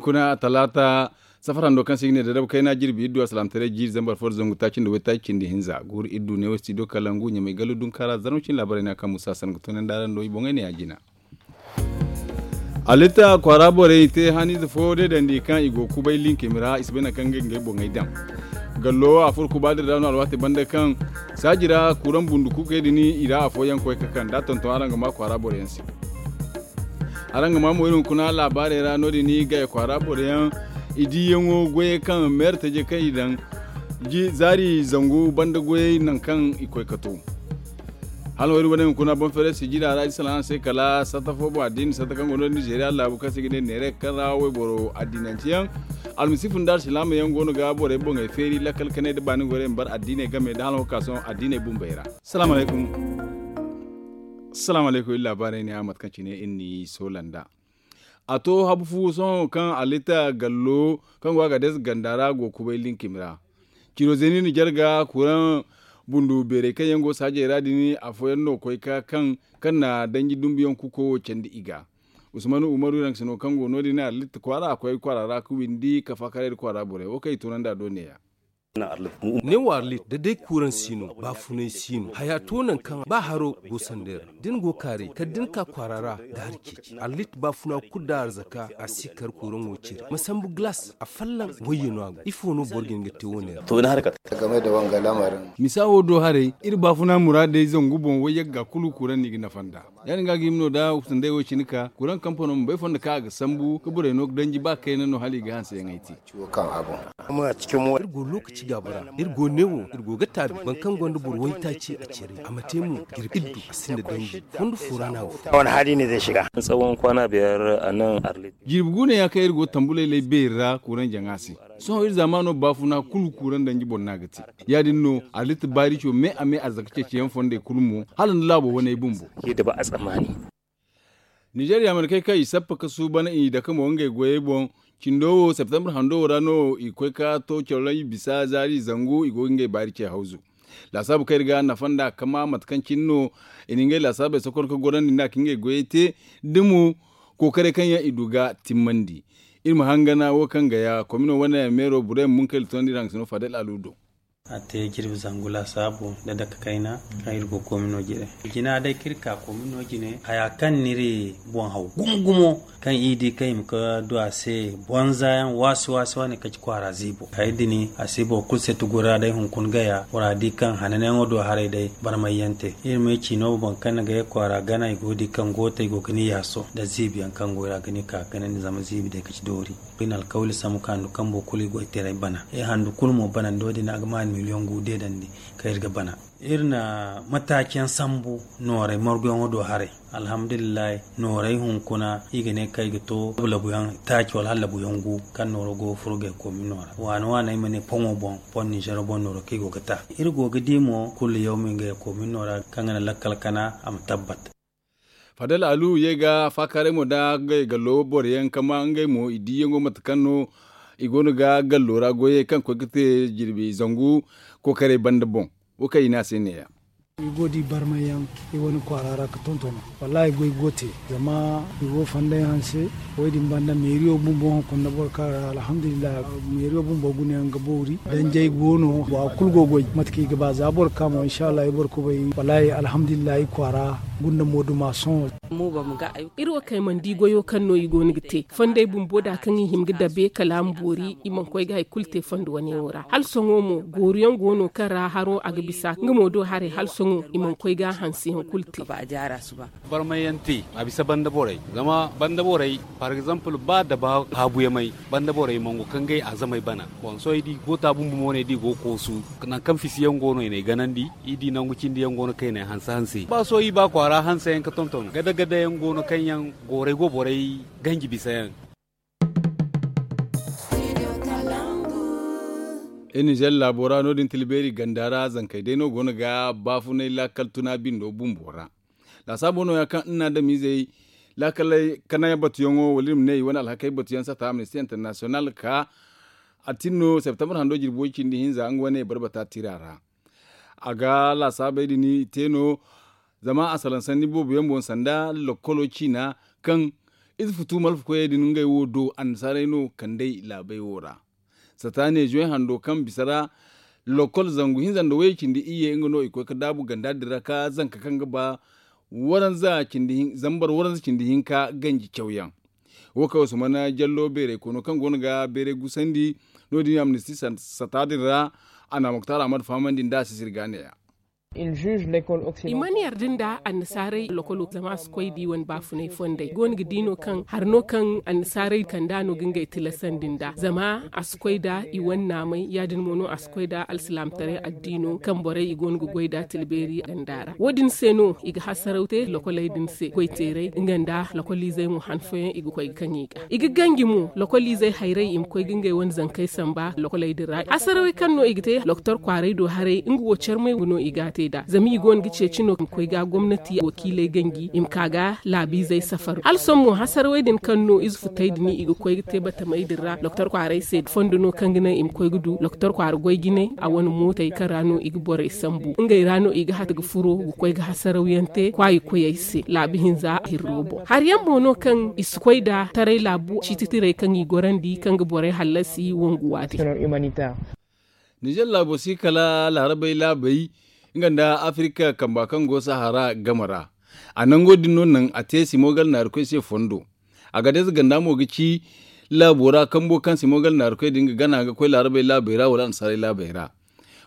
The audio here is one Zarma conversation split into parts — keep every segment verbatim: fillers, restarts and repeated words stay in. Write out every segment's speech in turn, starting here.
Kuna talaata safar hando kaŋ se i ga ne da dabu kayna jirbi iddu alsalaamataray jiiri zambar fo da zangu taaci nda waytaaci cindi hinza guuru iddu ne wo studio kalangu ɲamay gallu dunkaara zarma cine laabaray no ya kaŋ musa sanda ga toonandi araŋ do i boŋey ne ya jina. Alitta kwaara borey i te haniize fo deedandi kaŋ i go kubay linkimi ra i si bay nangu kaŋ ga ngey boŋey daŋ. Gallo a furo kuba din ra no alwaati banda kaŋ saaji ra kuraŋ bundu kuukey din i ra afooyaŋ koy ka kaŋ da a tonton araŋ ga ma kwaara boro yaŋ se. Araŋ ga ma mo iri hunkuna laabaarey ra no- din gaya kwaara boro yaŋ i diyaŋo goyey kaŋ meera taje kaŋ i daŋ zaari zangu banda goyey nangu kaŋ i koy ka to. Hala wo iri wane hunkuna boŋ feeray sijira ra iri salaŋ se kala satta fo boŋ addiini satta kaŋ go no- din nizeeriya laabu kaŋ se i ga ne neere kaŋ ra wayboro addiinanceyaŋ almasiifu nda alsilaamayaŋ go no ga borey boŋey feeri lakkal kanay nda baani gorey ma bar addiiney game nda hala wo ka sohõ addiiney bumbey ra. Salaamu alaykum. Salaamu alaykum iri laabaarey ne a mate kaŋ cine iri n'i soola nd'a. A to habu fu sohõ kaŋ alitta gallo kaŋ go a ga deesa ganda ra go kubay linkimi ra. Ciro zeeni na jarga kuraŋ bundu beerey kaŋ yaŋ go saajey ra din afooyaŋ no koy ka kaŋ kaŋ na danji dumbuyaŋ kuko wo candi i ga. Usman umaru iraŋ ga si no kaŋ go no- din alitta kwaara a koy kwaara ra ka windi ka faakaray nda kwaara borey wo kaŋ i toonandi a do neeya. Ne wo arlit da day kuuraŋ si no baafunay si no haya to nangu kaŋ ba haro go sanda yaŋ ra da ni go kaaray kala da ni ka kwaara ra ga hari ceeci arlit baafuna kulu da arzaka a si kar kuuraŋo cire ma sambu galas a fallaŋ wayye no a go ifo no boro ga hin ga te wo- ne ra. Misa wo do haray iri baafuna muraadey zangu boŋ wayyagga kulu kuuraŋ no i ga nafa nd'a. Ya- din ga a ga hima no da sanday wo cine ka kuuraŋ kampano ma bay fondo kaŋ a ga sambu ka borey no ga danji ba kayna no hala i ga hanseyaŋey te. Iri go lookaci gaabo ra iri go neewo iri go ga taabi boro kaŋ gonda boro waytaaci a cere a ma te mo jirbi iddu a sinda danji fondo fo ra no a go. Jirbi guuneya kaŋ iri go tambu laylay beeri ra kuuraŋ jaŋa se. Sohõ iri zaamaano baafuna kulu kuuraŋ danji boŋ no a ga te. Ya- din no alitta baarico me a me arzaka ceeciyaŋ fondey kulu mo hala nda laabo waney bumbo. Ninzeeriya mana kay kaŋ i sappa ka suuban i dake mo ngey goyey boŋ. Cindo wo septembre hando wo ra no i koy ka to cawlay bisa zaari zangu i go ga ngey baari ce hawzu. Laasaabu kaŋ iri ga nafa nd'a ka ma mate kaŋ cine no i na ngey laasaabey sokor ka gorandi nd'a ka ngey goyey te da mo kookaray kaŋ yaŋ i du ga timmandi. Iri ma hangana wo kaŋ ga ya komino wane meero burey ma munkayla toonandi iri hangasino fadel alu do. A te jirbi zangu laasaabu nda dake kayna kaŋ iri go komino jine. Jina day kaŋ iri ka komino jine haya kaŋ n'iri boŋ haw gumo gumo kaŋ i di kaŋ i ma ka du a se bonza yaŋ waasi waasi wane kaci kwaara ziibo. Hari din a si boro kulu se tugura day hunkuna gaya bora di kaŋ hananyaŋo do haray day barmayyaŋ te iri ma ay ci no boro kaŋ na gaya kwaara gana i go ga di kaŋ gootey go ga ni yaaso nda ziibi yaŋ kaŋ go i ra ga ni ka ganandi zama ziibi day kaci doori. Iri na alkawli sambu ka handu kambo kulu i goy teeray bana iri handu kulu mo banandi wo- din a ga ma iri miliyoŋ gu deedandi kaŋ iri ga bana. Iri na mataaci yaŋ sambu nooray marguyaŋo do haray. Alhamdulillahi nooray hunkuna i ga ne kaŋ i ga to labu labu yaŋ taaci wala hala labu yaŋ gu kaŋ nooro go ga furo gay koomino ra waana waana ay ma ne poŋo boŋ poŋ ninzeero boŋ nooro kaŋ i go ga ta. Iri go ga di mo kulu yawmi ngey koomino ra kaŋ ga naŋ lakkal kana a ma tabbat. Fadal alu ye ga faakaaray mo da ngey gallo boro yaŋ kama ngey mo i diyaŋo mate kaŋ no i go no ga gallo ra goyey kaŋ koy ga te jirbi zangu kookaray banda boŋ. Wo kaŋ i ne a se neeya. I go ga di barmay yaŋ i wane kwaara ra ga tonton wallaahi goy go ga te. Zama i go ga fanday hanse wo- din banda meeriyo bumbo hunkuna boro kaŋ ra alhamdulillahi. Meeriyo bumbo guna yaŋ ga boori danjey go no bora kulu go ga goy mate kaŋ i ga ba za boro ga ka mo inshallah i boro kubay wallaahi alhamdulillahi kwaara gunda mooduma sohõ. Iri wo kaŋ ay mana di goyo kaŋ no i go no ga te fonday bumbo da kaŋ i hima ga dabe kala a ma boori i mana koy ga hari kulu te fondo wane yaŋo ra hala sohõ mo goori yaŋ go no kaŋ ra haro a ga bisa nga mo do haray hala sohõ i mana koy ga hanse yaŋ kulu te. Barmay yaŋ te a bisa banda borey zama banda borey par exemple ba daba haabu yamay banda borey mangu kaŋ gay a zamay bana. Boŋ sohõ ay di go taabu bumbo mo no ay di go ga koosu nangu kaŋ fisi yaŋ go no i n'ay ganandi. I di nangu cindi yaŋ go no kaŋ i n'ay hanse hanse ba sohõ i ba kwaara hanse yaŋ ga tonton gada gada yaŋ go no kaŋ yaŋ gooray go borey ganji bisa yaŋ. Iri nizer laabo ra no- din tilbeeri ganda ra zankey day no go no ga baafunay laakal tuna bindo bumbo ra. Laasaabo nooya kaŋ iri na adamizey laakaley kanayaŋ batuyaŋo wala iri ma ne i wane alhakey batuyaŋ sata amnisti internasiyonal ka a tin no septembre hando jirbi way cindi hinza nga wane barbata tira ra. A ga laasaabey din i te no zama a salaŋ sanni boobo yaŋ boŋ sanda lokkolo ciina kaŋ Ize futu malfa koyey din ngey wo do annasaarey no kand'ey laabey wo ra. Sata ne zoy hando kaŋ bisa ra lokol zangu hinza nda wayey cindi iyye nga no i koy ga daabu ganda din ra ka zanka kaŋ ga ba waranza cindi zambar waranza cindi hinka ganji cawyaŋ. Wo kaŋ usman jallo beeray kono kaŋ go no ga beeray gusandi. No- din amnisti sata din ra a na muktar ahmad fahamandi nda a si sirga neeya. I mana yarda nda annasaarey lokolo zama a si koy da i wane baafunay fondey i go no ga di no kaŋ hari no kaŋ annasaarey kand'a no ga ngey tilasandi nd'a zama a si koy nda i wane naamay ya- din mo no a si koy nda alsilaamataray addiino kaŋ borey i go no ga goy nd'a tilbeeri ganda ra wo- din se no i ga hasaraw te lokoley din se goy teeray nga nda lokoliizey mo han fooyaŋ i ga koy ga kaŋ i ga i ga ganji mo lokoliizey hayray i ma koy ga ngey wane zankey samba lokoley din ra hasarawey kaŋ no i ga te doktor kwaaray do haray nga wo carmay no i g'a te nd'a zama i go no ga ceeci no i ma koy ga gomnati wakiiley ganji i ma ka ga laabiizey safar hala sohõ mo hasarawey din kaŋ no ize futey din i ga koy ga te batamey din ra doktor kwaaray se fondo no kaŋ ga naŋ i ma koy ga du doktor kwaara goy jinay a wane mootey kaŋ ra no i ga borey sambu ngey ra no i ga hata ga furo ga koy ga hasarawyaŋ te kwaayi koyey se laabi hinza hirro boŋ hari yaŋ mo no kaŋ i si koy nda taray laabu ciiti tirey kaŋ i gorandi kaŋ ga borey hallasi wangu waati. Nizer laabo si kala laarabey laabey nga nda afirika kamba kaŋ go sahara game ra a nango din no naŋ a te simogal naarikoy se fondo. A ga day za ganda mo ga ci laabo ra kambo kaŋ simogal naarikoy din ga gana ga koy laarabey laabey ra wala annasaarey laabey ra.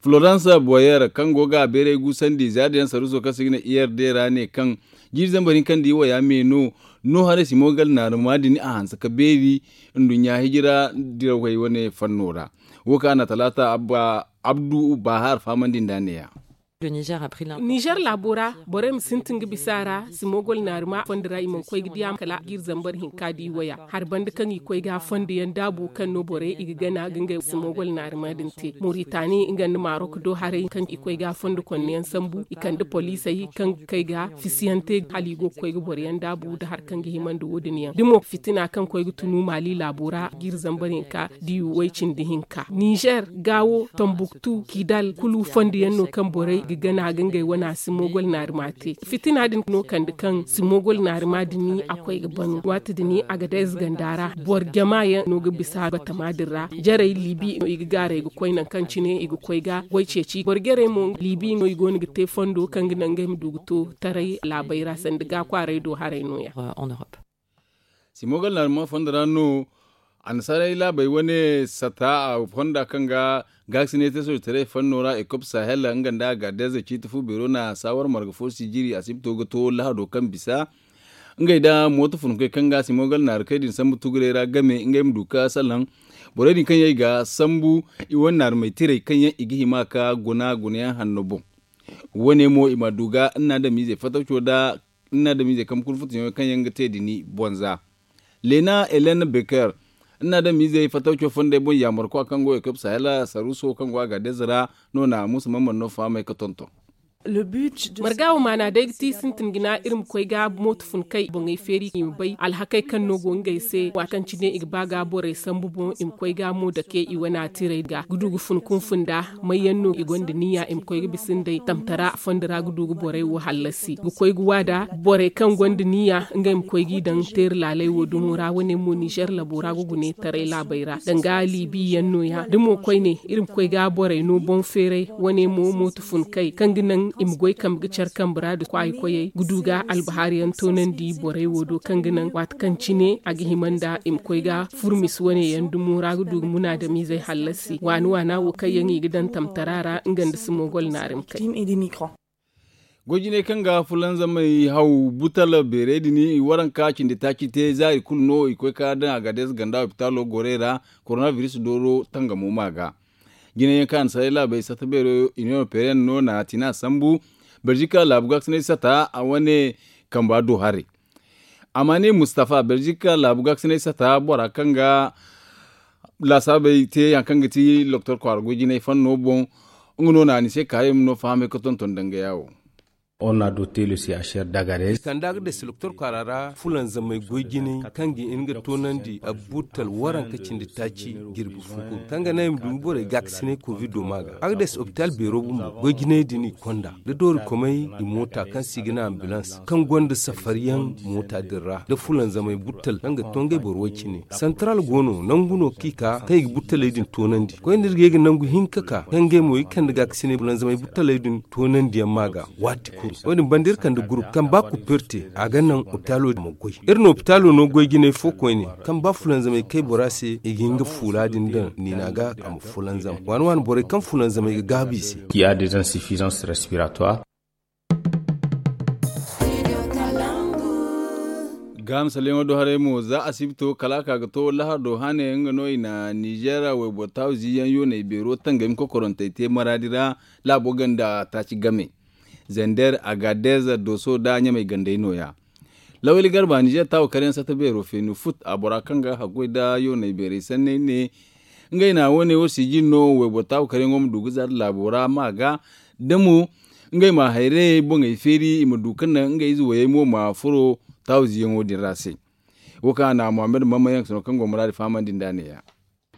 Florence boyer kaŋ go ga a beeray guusandi zaari yaŋ saruuso kaŋ se i ga ne ird ra ne kaŋ jiiri zambar hinka nda i waya me no no haray simogal naaruma din a hanse ka beeri nduɲɲa hijira dirawey wane fanno ra. Wo kaŋ a na talaata abba abdu bahar fahamandi nd'a neeya. Nizer laabo ra borey ma sintin ga bisa a ra simogol naarima fondo ra i mana koy ga diya kala jiiri zambar hinka da i waya hari banda kaŋ i koy ga fondo yaŋ daabu kaŋ no borey i ga gana ga ngey simogol naarima din te moritani nga nda marok do haray kaŋ i koy ga fondo konno yaŋ sambu i kande poliisey kaŋ ga kay ga fisiyaŋ te hala i go ga koy ga boro yaŋ daabu nda hari kaŋ ga hima nda wo- din yaŋ da mo fitina kaŋ koy ga tunu maali laabo ra jiiri zambar hinka da i way cindi hinka nizer gaawo tambuktu kidal kulu fondo yaŋ no kaŋ borey ga gana ga ngey wana simogol naarima te fitina din no kande kaŋ simogol naarima din a koy ga banu waati din a ga day ziganda ra boro jama yaŋ no ga bisa batama din ra jarey libi no i ga gaaray ga koy nangu kaŋ cine i ga koy ga goy ceeci boro jarey mo libi no i go no ga te fondo kaŋ ga naŋ ngey ma du ga to taray laabey ra sanda ga kwaaray do haray no- ya. Simogal naarima fondo ra no annasaarey laabey wane sata a fonda kaŋ ga gaakasinay te soojitaray fanno ra ekop sahel nga nda a gaadayze ciiti fu beero na saawar marga fo si jiri asibto ga to lahado kaŋ bisa ngey nda mooto funkoy kaŋ ga simogal naarikey din sambu tuguray ra game ngey ma du ga salaŋ borey din kaŋ yaŋ i ga sambu i wane naarumey tirey kaŋ yaŋ i ga hima ka guna gunayaŋ hanno boŋ. Wo- ne mo i ma du ga nna adamizey fatawco nda nna adamizey kambe kulu futuyaŋo kaŋ yaŋ ga te dini bonza. Leena helen beker nna adamizey fatawco fondey boŋ yaamarkwa kaŋ go ekop sahela saruuso kaŋ go a gaadayze ra no na muusa mamman no fahamey ga tonton. Marga wo maana day ga ti sintin jina iri ma koy ga mooto fun kay boŋey feeri i ma bay alhakey kaŋ no go ngey se waati kaŋ cine i ga ba ga borey sambu boŋ i ma koy ga mo dake i wana tirey ga ga du ga fun kunfun nda may yaŋ no i gonda niya i ma koy ga bisa nd'ey tamtara fondo ra ga du ga borey wo hallasi ga koy ga waada borey kaŋ gonda niya ngey ma koy g'i daŋ teeri laaley wo dumo ra wane mo nizer labo ra ga gune taray laabey ra danga libi yaŋ no- ya da mo koyne iri ma koy ga borey no boŋ feeray wane mo mooto fun kay kaŋ ga naŋ i ma goy kambe ga care kambe ra nda kwaayi koyey ga du ga albahaari yaŋ toonandi borey wo do kaŋ ga naŋ waati kaŋ cine a ga hima nda i ma koy ga furmis wane yaŋ dumo ra ga du ga munaadamizey hallasi waani waana wo kaŋ yaŋ i ga daŋ tamtara ra nga nda simogol naari ma kay. Goy jinay kaŋ ga fulanzamey haw butal beerey din i waranka cindi taaci te zaari kulu no i koy ka daŋ a ga deeza ganda opitaalo gorey ra koronabiris dooro tangamo ma ga. Jinay yaŋ kaŋ a na saray laabey sata beero union européenne no na tina sambu beljika laabu gaakasinay sata a wane kamba do haray. Amma ne mustafa beljika laabu gaakasinay sata bora kaŋ ga laasaabey te yaŋ kaŋ ga ti loktor kwaara goy jinay fanno boŋ. Nga no na ni se kaayey ma no fahamay ga tonton danga yaawo. On a doté le C H R d'Agadez. I kand'a ga dasi doktor kwaara ra fulanzamey goy jinay kaŋ ga hin ga toonandi a burtal waranka cindi taaci jirbi fo kulu kaŋ ga naŋ i ma du ga borey gaakasinay kovido ma ga a ga dasi opitaal beero bumbo goy jinay din i konda da doorikomey i moota kaŋ se i ga ne ambilans kaŋ gonda safariyaŋ moota din ra da fulanzamey burtal kaŋ ga to ngey boro way cine santaral go no nangu no kaŋ i ka kaŋ i ga burtaley din toonandi koyne iri ga ye ga nangu hinka ka kaŋ ngey mo i kande gaakasinay fulanzamey burtaley din toonandiyaŋ ma ga waati kulu wo- din banda iri kande gurup kaŋ ba kupper te a ga naŋ opitaalo ma goy iri na opitaalo no goy jinay fo koyne kaŋ ba fulanzamey kay bora se i ga hin ga fuula din daŋ niina ga a ma fulanzam waani waani borey kaŋ fulanzamey ga gaabu i se. Qui a des insuffisances respiratoires. Gaamsaleŋo do haray mo za asibito kala a ka ga to lahar do hane nga no i na nizeera wayboro taawu ziiyaŋ yooney beero tangami kokorantey te maraadi ra laabo ganda taaci game zander agadez doso nda ɲamey gandey nooya. Lawali garba nizeer taawu karyaŋ sata beero feenu fut a bora kaŋ ga haggoy nda yooney beerey sanney ne ngey na wane wo sijin no wayboro taawu karyaŋo ma du ga za nda laabo ra ma ga da mo ngey ma hayrayey boŋey feeri i ma du kaŋ naŋ ngey ize wayey mo ma furo taawu ziyaŋo din ra se. Wo kaŋ a na muhammad mamman yaŋ sano kaŋ go muraadi fahamandi nd'a neeya.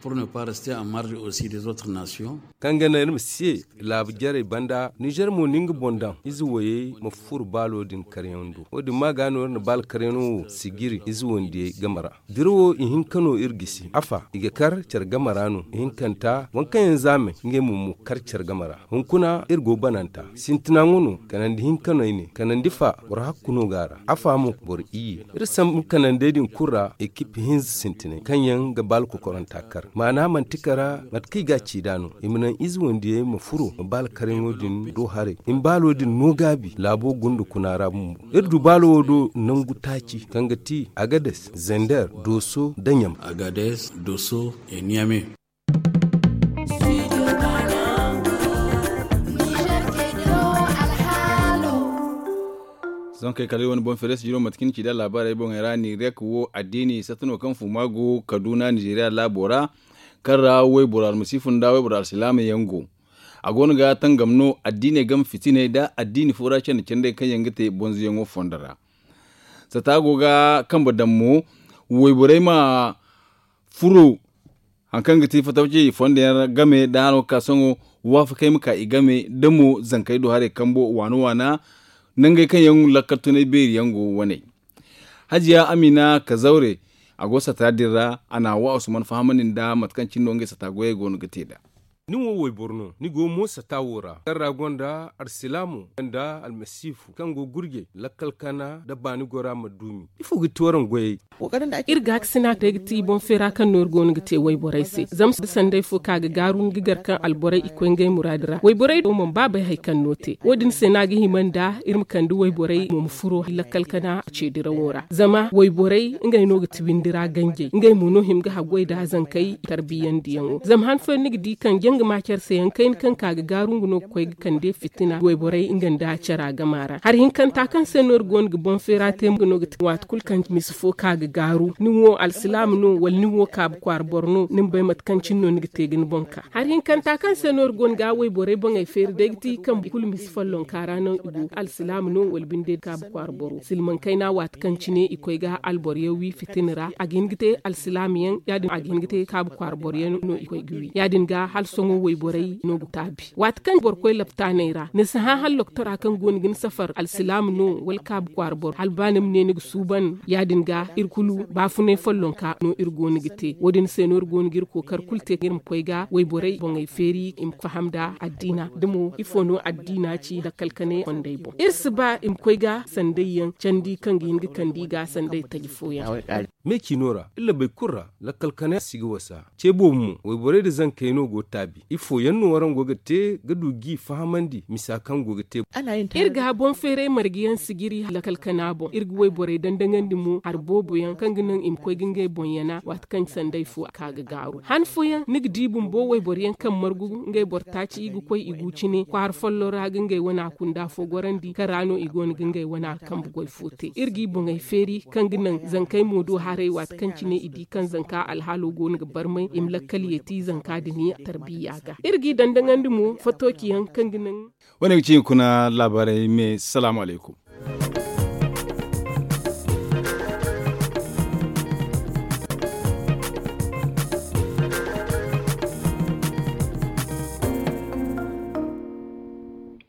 Pour ne pas rester en marge aussi des autres nations. Kaŋ ga naŋ iri ma si ye laabu jarey banda nizer mo na nga boŋ daŋ ize wayey ma furo baalo din karyaŋ do wo- din ma ga no iri na baalo karyaŋo wo sijiri ize wandiyey game ra. Dira wo ihinka no iri gisi afa i ga kar care game ra no ihinkanta waŋ kaŋ yaŋ zaamey ngey mo ma kar care game ra. Hunkuna iri go bananta sintina ŋwa no kanandi hinka no ay ne kanandi fa boro hakku no go a ra afa mo boro iyye. Iri sambu kanandey din kulu ra ekip hinza sintinay kaŋ yaŋ ga baala kokoranta kar maana manti kara mate kaŋ i ga a ci nd'a no i ma naŋ ize wandiyey ma furo ma baala karyaŋo din do haray i ma baalo din no gaabi laabo gunda kuna ra bumbo. Iri du baalo wo do nangu taaci kaŋ ga ti agades zender doso nda ɲam. Agades doso e ɲame. Sohõ kay kala iri wane boŋ feere sijiro mate kaŋ ni ci nd'a laabaarey boŋey ra ni rek wo addiini satta no kaŋ fuma go kaduna nizeeriya laabo ra kaŋ ra wayboro almasiifu nda wayboro alsilaama yaŋ go. A go no ga tangam no addiiney game fitiney nda addiini fo ra candi candey kaŋ yaŋ ga te bonzoyaŋo fondo ra. Satta go ga kambe daŋ mo wayborey ma furo hari kaŋ ga ti fatawci i fondo yaŋ game da hano ga ka sohõ waafakey ma ka i game da mo zankey do haray kambo waana waana nangey kaŋ yaŋ lakkal tunay beeri yaŋ go wane. Hajiya amina kazaure a go sata din ra a na a wa usman fahamandi nda mate kaŋ cine no ngey sata goyey go no ga te nd'a. Ni wo wayboro no ni go mo sata wo ra kaŋ ra gonda alsilaamo nda almasiifu kaŋ go gurjey lakkal kana nda baani gora ma duumi ifo ga ti waraŋ goyey? Iri gaakasina day ga ti boŋ feera kaŋ no iri go no ga te wayborey se zama da sanday fo ka ga gaaru ni ga gar kaŋ alborey i koy ngey muraadi ra wayborey do mana ba bay hari kaŋ no te wo- din se no a ga hima nda iri ma kande wayborey mo ma furo lakkal kana ceedirawo ra zama wayborey ngey no ga ti windi ra ganjey ngey mo no hima ga haggoy nda zankey tarbiyandiyaŋo zama han fooyaŋ ni ga di kaŋ janga ma care se yaŋ kayna kaŋ ka ga gaaru nga no ga koy ga kande fitina wayborey nga nda cara gama ra hari hinkanta kaŋ se no iri go no ga boŋ feera te nga no ga ti waati kulu kaŋ misi fo ka ga gaaru ni wo alsilaama no wala ni wo kaabu kwaara boro no ni ma bay mate kaŋ cine no ni ga te ga ni boŋ ka hari hinkanta kaŋ se no iri go no ga wayborey boŋey feeri day ga ti kaŋ kulu misi follonka ra no i go alsilaama no wala binde kaabu kwaara boro silmaŋ kayna waati kaŋ cine i koy ga alboro yaŋ wi fitina ra a ga hin ga te alsilaama yaŋ ya- din a ga hin ga te kaabu kwaara boro yaŋ no i koy ga wi ya- din ga hala sohõ wayborey no ga taabi waati kaŋ boro koy laptaaney ra ni si hã hala loktora kaŋ go no ga ni safar alsilaama no wala kaabu kwaara boro hala ba ni ma ne ni ga suuban ya- din ga iri kulu baafunay follonka no iri go no ga te wo- din se no iri go no ga iri kookari kulu te iri ma koy ga wayborey boŋey feeri i ma faham nda addiina da mo ifo no addiina ci lakkal kane fondey boŋ iri si ba i ma koy ga sanday yaŋ candi kaŋ ga hin ga kande i ga sanday taji fooyaŋ. Me ciino ra iri labey kulu ra lakkal kane si ga wasa ce boobo mo wayborey nda zankey no go taabi ifo yaŋ no waraŋ go ga te ga du g'i fahamandi misa kaŋ go ga te? Iri ga boŋ feeray marga yaŋ sijiri lakkal kana boŋ iri ga wayborey dandaŋandi mo hari boobo yaŋ kaŋ ga naŋ i ma koy ga ngey boŋ yana waati kaŋ sanday fo ka ga gaaru han fooyaŋ ni ga di bumbo wayboro yaŋ kaŋ margu ngey boro taaci i ga koy i gu cine kwaara folloŋ ra ga ngey wana kunda fo gorandi kaŋ ra no i go no ga ngey wana kambe goy fo te iri g'i boŋey feeri kaŋ ga naŋ zankey mo do. Arey waati kaŋ cine i di kaŋ zanka alhaalo go no ga barmay i ma lakkal yeeti zanka din tarbiya ga iri g'i dandaŋandi mo fatooci yaŋ kaŋ ga naŋ. Wane ga ci hunkuna laabaarey me salaamu alaykum.